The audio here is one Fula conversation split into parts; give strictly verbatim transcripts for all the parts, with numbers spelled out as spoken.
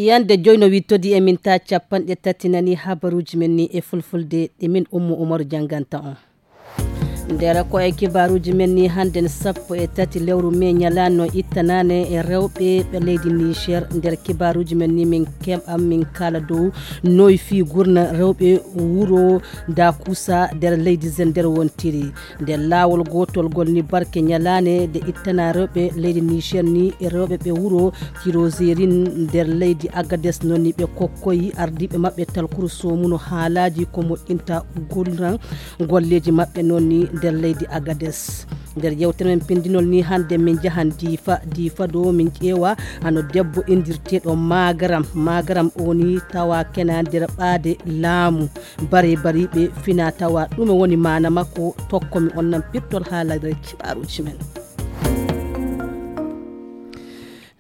Yande joyno wittodi e min ta capanɗe tati nani habaruji men ni e fulfulde ɗe min Ummu Umaru janganta on. Nder ko e kibaruji men ni hande sappo e tati lewru me nyalano ittanane e rewɓe ɓe leydi Niger. Nder kibaruji men ni min keɓam min kala dow noy fi gurna rewɓe wuro Dakusa nder leydi Zender wontiri. Nder laawol gootol ngol ni barke nyalaane nde ittana rewɓe leydi Niger ni e rewɓe ɓe wuro Tirozerin nder leydi Agades noon ni ɓe kokkoyi ardiiɓe maɓɓe talkuru soomuno haalaaji ko moƴƴinta gulran golleeji maɓɓe noon ni nder leydi Agades. Nder yewtere men pindinol ni hannde min njahan Diifa, Diifa ɗo min ƴeewa hano debbo inndirteeɗo Magaram. Magaram o ni tawa kena nder ɓaade laamu. Bare bariiɓe fina tawa ɗume woni maana makko tokkomi on nan pirtol haalagre kibaaruji men.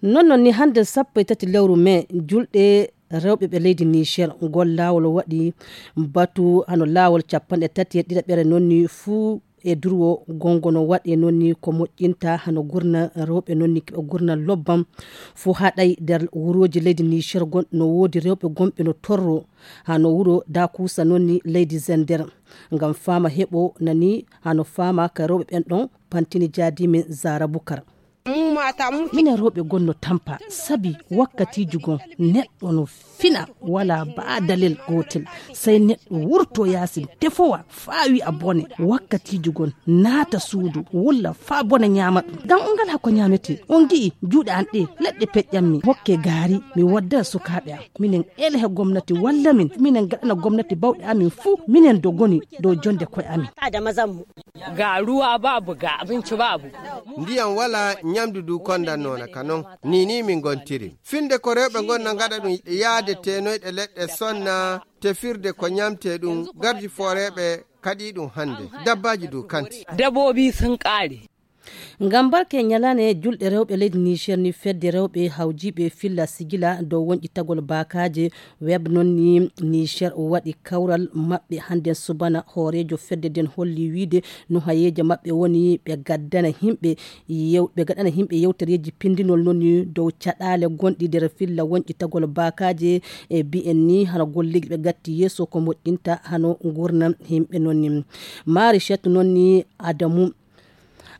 Non non ni hande sappo e tati lewru me julɗe rewɓe ɓe leydi Niger ngol laawol waɗi batu hano laawol capanɗe tati e ɗiɗaɓere non ni fuu e durwo gongono waɗe non ni ko moƴƴinta hano gurna rewɓe non ni keɓa gurna lobbam fuu haɗay nder wuroji leydi Niger gon no woodi rewɓe gonɓe no torro hano wuro Dakusa non ni leydi Zender. Ngam faama heɓo nani hano faama ka rewɓe ɓen ɗon pantini jaadi min Zara Bukar. Minen rewɓe gonno tampa sabi wakkatiiji gon neɗɗo no fina wala ba dalel gootel, sey neɗɗo wurto yaasin tefowa faa wi'a bone. Wakkatiiji gon naata suudu wulla faa bone ñaama ɗum. Ngam on ngalaa ko ñaametee. On ngi'i juuɗe an ɗe leɗɗe peƴƴammi hokke gaari mi wadda sukaaɓe am. Minen ele he gomnati walla min, minen gaɗana gomnati bawɗe amin fuu, minen dogoni dow jonde koye amin. Ga ruwa babu, ga abinci babu. Ndiyam wala, ñamdu du kondan noona ka non. Ni ni min ngontiri. Filde ko rewɓe ngonna ngaɗa ɗum yaade tenoyɗe leɗɗe sonna, tefirde ko ñamte ɗum, gardi fooreeɓe kaɗi ɗum hannde. Dabbaaji du kanti. Dabbobi sun ƙare. Ngam barke ñalaane julɗe rewɓe leydi Niger ni fedde rewɓe hawjiiɓe filla sigila dow wonƴitagol baakaaje web non ni Niger waɗi kawral maɓɓe hannden subana. Hooreejo fedde nden holli wiide no hayeeje maɓɓe woni ɓe gaddana himɓe yew-, ɓe gaɗana himɓe yewtereeji pindinol non ni dow caɗaale gonɗi nder filla wonƴitagol baakaaje e bi'en ni hano golleeji ɓe gatti yeeso ko moƴƴinta hano ngurnam himɓe non ni. Maari Chet non ni Adamu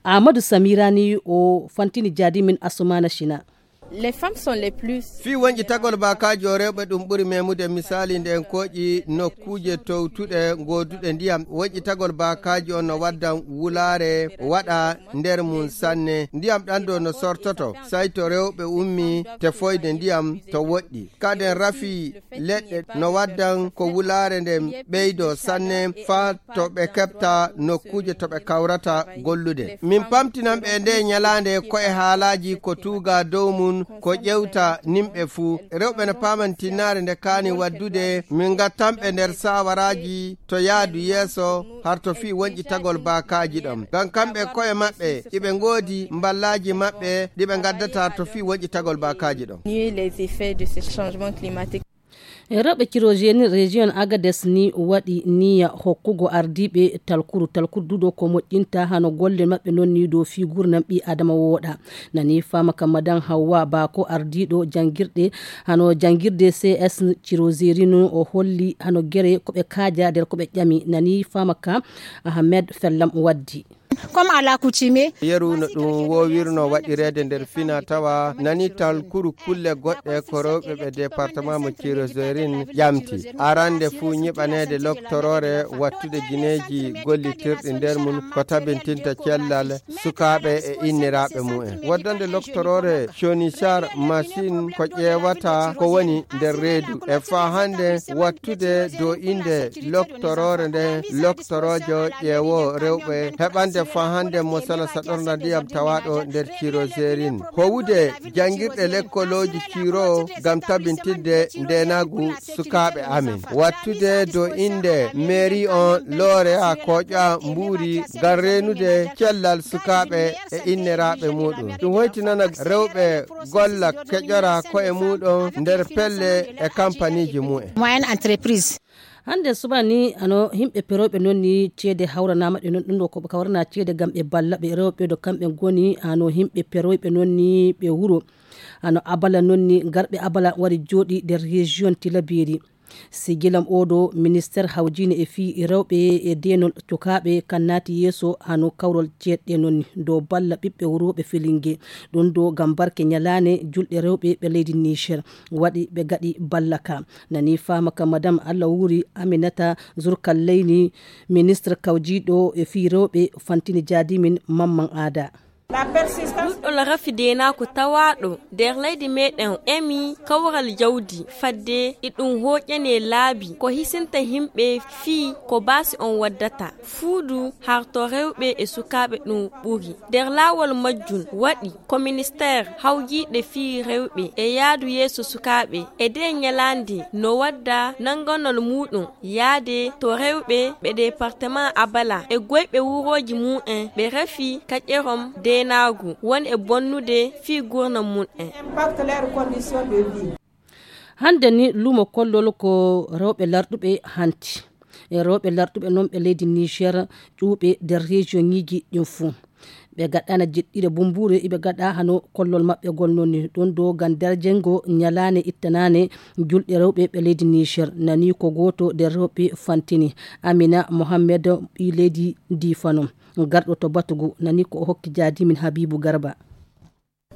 Amadou Samira ni o fantini jaadi min Assoumana China. Les femmes sont les plus. Fii wonƴitagol baakaaji o rewɓe ɗum ɓuri memude misali nde en kooƴi nokkuuje towtuɗe gooduɗe ndiyam. Wonƴitagol baakaaji on no waddan wulaare waɗa nder mum sanne. Ndiyam ɗan ɗo no sortoto, say to rewɓe ummi tefoyde ndiyam to woɗɗi. Kaden rafi leɗɗe no waddan ko wulaare nden ɓeydo sanne faa to ɓe keɓta nokkuuje to ɓe kawrata gollude. Min pamtinan ɓe e nde ñalaande ko e haalaaji ko tuuga dow mum ko ƴewta nimɓe fuu. Rewɓe no paaman tinnaare nde kaani waddude, min ngattan ɓe nder saawaraaji to yaadu yeeso har to fii wonƴitagol baakaaji ɗon. Ngam kamɓe ko'e maɓɓe iɓe ngoodi mballaaji maɓɓe ɗi ɓe ngaddata to fii wonƴitagol baakaaji ɗon. Nier les effets de ces changements climatiques. E rewɓe Cirojeni Region Agades ni waɗi niya hokkugo ardiiɓe talkuru. Talkuru duɗo ko moƴƴinta hano golle maɓɓe non ni dow fii gurnam ɓii Adama wooɗa. Nani fama ka Madan Hawwa Bako ardiiɗo jangirɗe hano jangirde C S Cirozeri no o holli hano gere ko ɓe kaaja nder ko ɓe ƴami. Nani fama ka Ahmed Fellam waddi. Comme à l'accoutumée. Yeru no ɗum woowirno waɗireede nder fina tawa nani talkuru kulle goɗɗe ko rewɓe ɓe département mo Cirozerin ƴamti. Arande fuu ñiɓaneede loktoroore wattude gineeji gollitirɗi nder mum ko tabintinta cellal sukaaɓe e inniraaɓe mumen. Waddande loktoroore Conisar Masin ko ƴeewata ko woni nder reedu. E faa hannde wattude do innde loktoroore nde loktoroojo ƴeewo rewɓe heɓande faa hannde mosala saɗorna ndiyam tawaaɗo nder Cirozerin. Howude janngirɗe lekkolooji Ciro ngam tabintinde ndeenaagu sukaaɓe amen. Wattude do innde mairie on looreya kooƴa mbuuri ngam reenude cellal sukaaɓe e inniraaɓe muuɗum. Ɗum hoytinana rewɓe golla keƴora ko'e muuɗum nder pelle e kampaniiji mumen. Moyenne entreprise. Hannde subaa ni, ano himɓe perooɓe noon ni ceede hawranaama ɗe noon, ɗum ɗo ko ɓe kawrana ceede ngam ɓe balla ɓe rewɓe ɗo kamɓe ngoni, ano himɓe perooɓe noon ni ɓe wuro, ano Abala noon ni, garɓe Abala wari jooɗi nder région Tilaberi. Sigilam oɗo ministère hawjiine e fii rewɓe e deenol cukaaɓe kan naati yeeso hano kawrol ceeɗɗe noon ni dow balla ɓiɓɓe wuro ɓe Filinge. Ɗum ɗo ngam barke ñalaane julɗe rewɓe ɓe leydi Niger waɗi ɓe gaɗi balla ka. Nani faama ka madame Allah wuuri Aminata Zurkalleyni, ministre kawjiiɗo e fii rewɓe fantini jaadimin Mamman Aada. Ɗuɗɗol rafi deenaaku tawaaɗo nder leydi meɗen emi kawral jawdi fadde iɗum hooƴane laabi ko hisinta himɓe fii ko baasi on waddata. Fuudu harto rewɓe e sukaaɓe ɗum ɓuri. Nder laawol majjum waɗi ko ministeer hawjiiɗe fii rewɓe e yaadu yeeso sukaaɓe e dee ñalaande no wadda nannganol muuɗum yaade to rewɓe ɓe departement Abala e goyɓe wurooji mum en ɓe refi kaƴerom deenaagu won e bonnude fii gurnam mum en. Hannde ni luumo kollol ko rewɓe larɗuɓe hanti. E rewɓe larɗuɓe noon ɓe leydi Niger ƴuuɓe nder région ŋiiji ɗin fuu. Ɓe gaɗɗana jeɗɗire bumbuure, iɓe gaɗa hano kollol maɓɓe gol noon ni. Ɗum ɗo ngam darjengo ñalaane ittanaane julɗe rewɓe ɓe leydi Niger. Nani ko gooto nder rewɓe fantini. Amina Mohammed ɓii leydi Difano. Garɗo to batugu nani ko o hokki jaadimin Habibu Garba.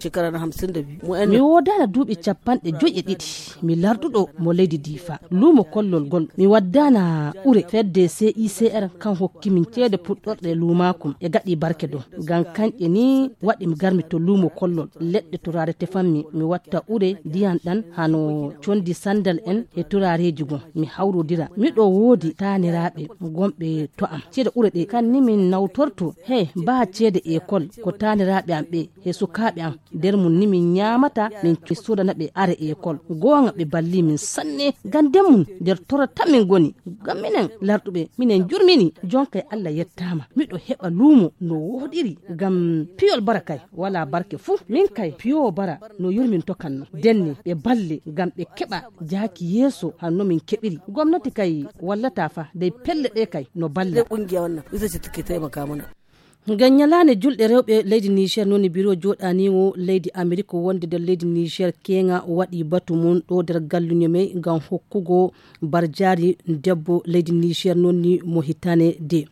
Shekara na hamsin da biyu. Mu yan mi wodana duuɓi capanɗe joyi e ɗiɗi. Mi larduɗo mo leydi Difa. Luumo kollol gol. Mi waddana ure fedde C I C R kan hokki min ceede puɗɗorɗe luumakum. E gaɗi barke ɗo. Ngam kanƴe ni waɗi mi garmi to luumo kollol. Leɗɗe turaare tefanmi. Mi watta ure ndiyan ɗan hano condi sandal en e turaareeji gon. Mi hawrodira. Miɗo woodi taaniraaɓe gonɓe to am. Ceede ure ɗe kan ni min nawtorto. He, baa ceede ekol ko taaniraaɓe am ɓe. He sukaaɓe am nder mum ni min ñaamata, min soodana ɓe are ekol. Gooŋa ɓe balli min sanne. Ngam nder mum nder torata min ngoni. Ngam minen larɗuɓe, minen njurmini. Jonkay Allah yettaama. Miɗo heɓa luumo no wooɗiri. Ngam piyol bara kay, walaa barke fuu. Min kay, piyo bara no yurminto kan no. Denne ɓe balle ngam ɓe keɓa jaaki yeeso hanno min keɓiri. Gomnati kay wallata fa, dey pelle ɗe kay no balla. Ngam ñalaande julɗe rewɓe leydi Niger, noon biro jooɗaaniiwo leydi Amerik wonde nder leydi Niger keeŋa waɗi batu mum ɗo nder galluño mey ngam hokkugo barjaari debbo leydi Niger, noon ni mo hitane de.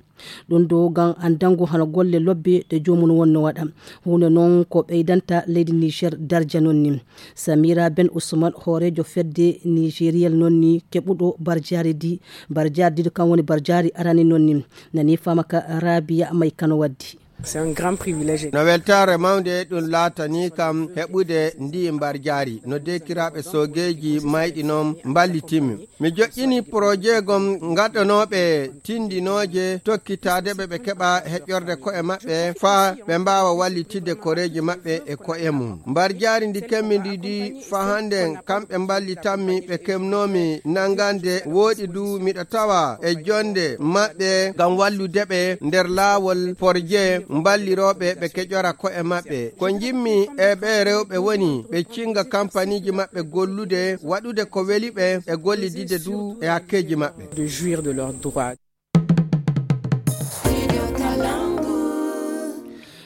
Ɗum ɗo ngam anndango hano golle lobbe ɗe joomum wonno waɗa. Huunde noon ko ɓeydanta leydi Niger darja noon ni. Samira Ben Ousmane, hooreejo fedde Nigeriyel noon ni keɓuɗo barjaari di, barjaari di kan woni barjaari arani noon ni. Nani faama ka Rabia May Kano waddi. C'est un grand privilège. No weltaare mawnde ɗum laatanii kam heɓude ndi mbarjaari. No deekiraaɓe soogeeji mayɗi noon mballitimi. Mi joƴƴini porojeegom ngaɗanooɓe tindinooje tokkitaade ɓe ɓe keɓa heƴorde ko'e maɓɓe faa ɓe mbaawa wallitidde koreeji maɓɓe e ko'e mum. Mbarjaari ndi kemmi ndi ndi faa hannden kamɓe mballitammi ɓe kemnoomi nanngande wooɗi du miɗo tawa e jonnde maɓɓe ngam wallude ɓe nder laawol porje mballirooɓe ɓe keƴora ko'e maɓɓe. Ko njimmi e ɓee rewɓe woni ɓe cinnga kampaniiji maɓɓe gollude waɗude ko weli ɓe e gollididde du e hakkeeji maɓɓe. De jouir de leurs droits.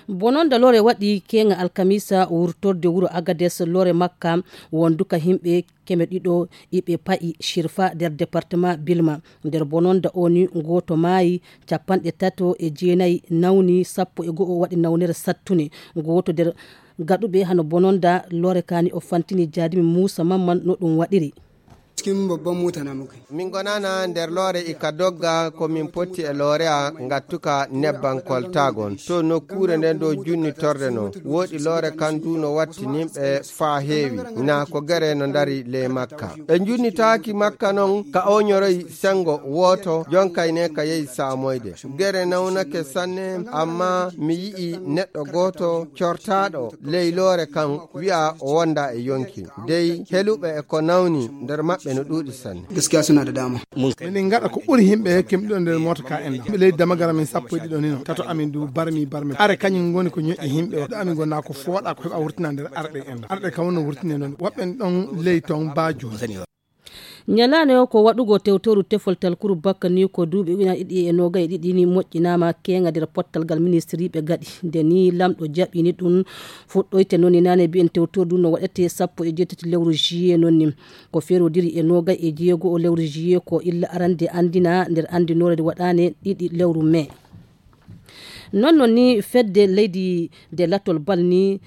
Bononda lore waɗi keeŋa alkamisa wurtorde wuro Agades lore makka wonduka himɓe keme ɗiɗo iɓe pa'i Shirfa nder departement Bilma. Nder bononda o ni gooto maayi, capanɗe tato e jeenayi nawni, sappo e go'o waɗi nawnere sattunde. Gooto nder gaɗuɓe hano bononda lore kani o fantini jaadimi Muusa Mamman no ɗum waɗiri. Cikin babban mota na muka yi. Min gonana nder loore ika dogga ko min potti e loore a ngattuka nebban koltagon. To nokkuure nden dow junnitorde no woodi loore kan du no watti nimɓe faa heewi. Na ko gere no ndari ley makka. Ɓe junnitaaki makka non ka oñoroy sengo wooto jonkay ne ka yehi saamoyde. Gere nawnake sanne, amma mi yi'i neɗɗo gooto cortaaɗo ley loore kan wi'a o wonda e yonki. Dey heluɓe e ko nawni nder maɓɓe no ɗuuɗi sanne. Gaskiya suna da dama. Minin ngaɗa ko ɓuri himɓe hekkimɓe ɗo nder mota ka en ɗo. Ley damagara min sappo e ɗiɗo nino. Tato amin du barmi barmi. Are kañum ngoni ko ñoƴƴi himɓe o. Ɗo amin gona ko fooɗa ko heɓa wurtina nder arɗe en. Arɗe kam wonno wurtine noon. Woɓɓe ɗon ley ton baajo. Ñalaande o ko waɗugol tewtoru tefol talkuru bakka ni ko duuɓi ujunaaji ɗiɗi e noogay e ɗiɗi ni moƴƴinaama keeŋa nder pottal ngal ministiriiɓe gaɗi. Nde ni lamɗo jaɓini ɗum fuɗɗoyte noon ni naane mbiyen tewtoru ndu no waɗete sappo e jeetati lewru juillet noon ni. Ko ferodiri e noogay e jeego o lewru juillet ko illa arande anndina nder anndinoore nde waɗaane ɗiɗi lewru mai. Noon noon ni fedde leydi nde latol bal ni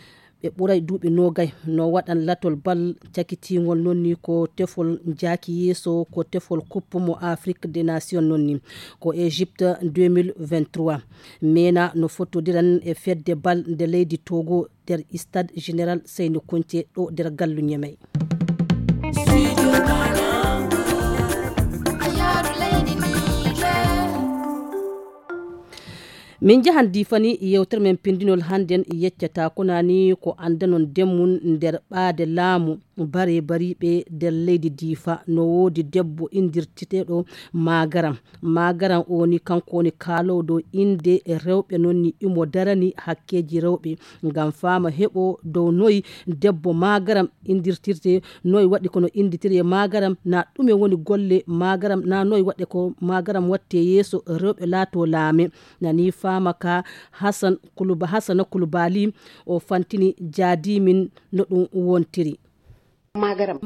ɓe ɓuray duuɓi noogay no waɗan latol bal cakitiingol noon ni ko tefol njaaki yeeso ko tefol coupe mo Afrique des Nations noon ni ko Égypte deux mille vingt-trois. Mena no fotodiran e fedde bal nde leydi Togo nder Stade Général Seyni Kunce ɗo nder gallu Ñemey. Min njahan Diifa ni, yewtere men pinndinol hannden yeccata ko nani ko anndanon ndemmun nder ɓaade laamu bare bariiɓe nder leydi Diifa. No woodi debbo inndirteteeɗo Magaram. Magaram o ni kanko woni kaaloowo dow innde rewɓe, noon ni imo darani hakkeeji rewɓe. Ngam faama heɓo dow noy debbo Magaram inndirtirte, noy waɗi kono innditiree Magaram, na ɗume woni golle Magaram, na noy waɗe ko Magaram watte yeeso rewɓe laato laame. Nani faama ka Hassan Kuluba-, Hassana Kulubali o fantini jaadimin no ɗum wontiri. Magaram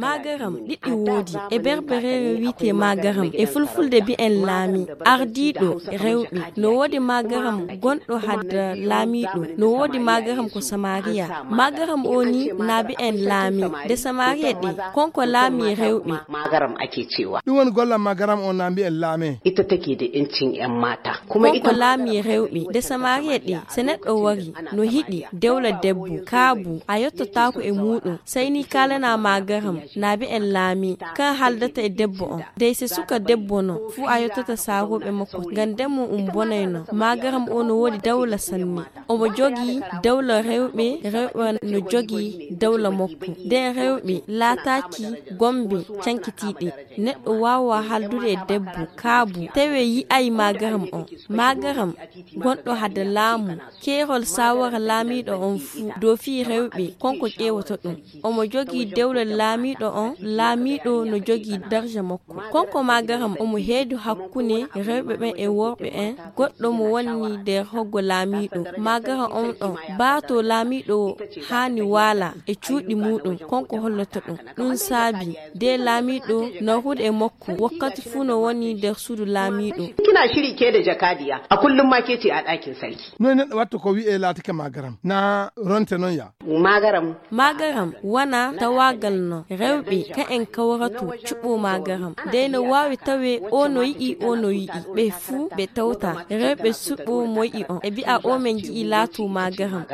ɗiɗi woodi. E berbereere wiyetee Magaram, e fulfulde mbiyen laami, ardiiɗo rewɓe. No woodi Magaram gonɗo hadda laamiiɗo. No woodi Magaram ko Samariya. Magaram o ni na mbiyen laami. Nde Samariya ɗe, konko laami rewɓe. Magaram ake cewa. Ɗum woni gollal Magaram o na mbiyen laame. Ita take da incin yan mata. Kuma ita konko laami rewɓe. Nde Samariya ɗe, se neɗɗo wari, no hiɗi dewla debbo, kaabu, a yottotaako e muuɗum. Sey ni kaalana Magaram, na mbiyen laami, kan haldata e debbo on. Dey se suka debbo no, fuu a yottata saarooɓe makko, ngam ndemmo um bonayno. Magaram o no woodi dawla sanne. Omo jogii dawla rewɓe, rewɓe no jogii dawla makko. Nden rewɓe laataaki gombe cankitiiɗe. Neɗɗo waawaa haldude e debbo, kaabu, tawee yi'ay Magaram on. Magaram, gonɗo hade laamu, keerol saawara laamiiɗo on fuu, dow fii rewɓe, konko ƴeewoto ɗum. Omo jogii dewle laamiiɗo on, laamiiɗo no jogii darja makko. Konko Magaram omo heedu hakkunde rewɓe ɓen e worɓe en, goɗɗo mo wonni nder hoggo laamiiɗo. Magaram on ɗon, baato laamiiɗo haani waala e cuuɗi muuɗum, konko holloto ɗum. Ɗum saabi, de laamiiɗo narude e makko, wakkati fuu no woni nder suudu laamiiɗo. Kina shiri ke da jakadiya, a kullum ma ke ce a ɗakin sarki. Noy neɗɗo watta ko wi'e laatike Magaram, na ronte non ya. Magaram. Magaram wana tawaagal no rewɓe ka en kawrato cuɓo Magaram. Dey no waawi tawe o no yi'i, o no yi'i. Ɓe fuu ɓe tawta rewɓe suɓo mo yi'i on. E bi'a o men ji'i laato Magaram.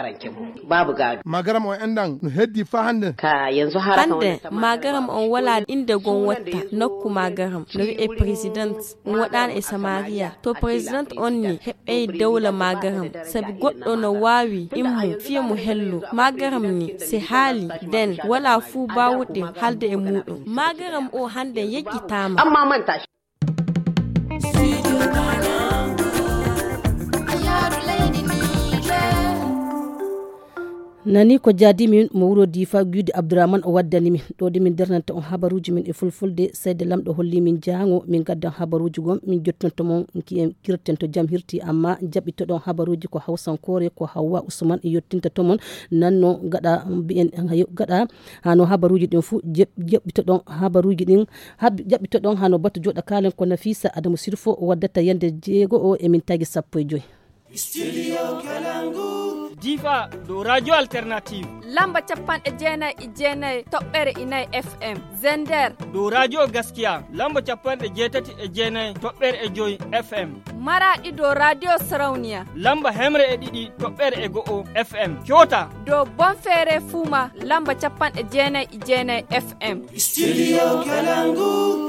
Babu gado. Magaram o enɗan no heddi fa hande. Ka yanzu har hande Magaram on wala inde gon watta nokku Magaram. No wi'e president. Ɗum waɗaani e Samariya. To president on ni heɓɓey dawla Magaram, sabi goɗɗo no waawi immo fiya mo hello. Magaram ni, se haali, den walaa fuu baawuɗe haalde e muuɗum. Magaram o hande yejjitaama. Amma manta shi. Nani ko jaadi min mo wuro Difa, Guyde Abdourahmane o waddani min. Ɗo de min darnanta on habaruuji min e fulfulde, seyde Lamɗo holli min jaango, min gaddan habaruuji gon, min jottonto mon, ki en kirten to jam hirti, amma jaɓɓitoɗon habaruuji ko hawsankoore, ko Hawwa Usman yottinta to mon. Nanno gaɗa mbiyen, gaɗa hano habaruuji ɗin fu, jeb-, jaɓɓitoɗon habaruuji ɗin, hab-, jaɓɓitoɗon hano batu joɗa kalen ko Nafisa Adamu Sirfo waddata yande jeego o e min tagi sappo e joy. Studio Kalangu. Difa ɗo Radio Alternative. Lamba capanɗe jeenay e jeenay toɓɓere e nayi F M. Zender. Ɗo Radio Gaskiya. Lamba capanɗe jeetati e jeenay toɓɓere e joy F M. Maraɗi ɗo Radio Sarauniya. Lamba hemre e ɗiɗi toɓɓere e go'o F M. Kyota. Ɗo Bonfere Fuma. Lamba capanɗe jeenay e jeenay F M. Studio Kalangu.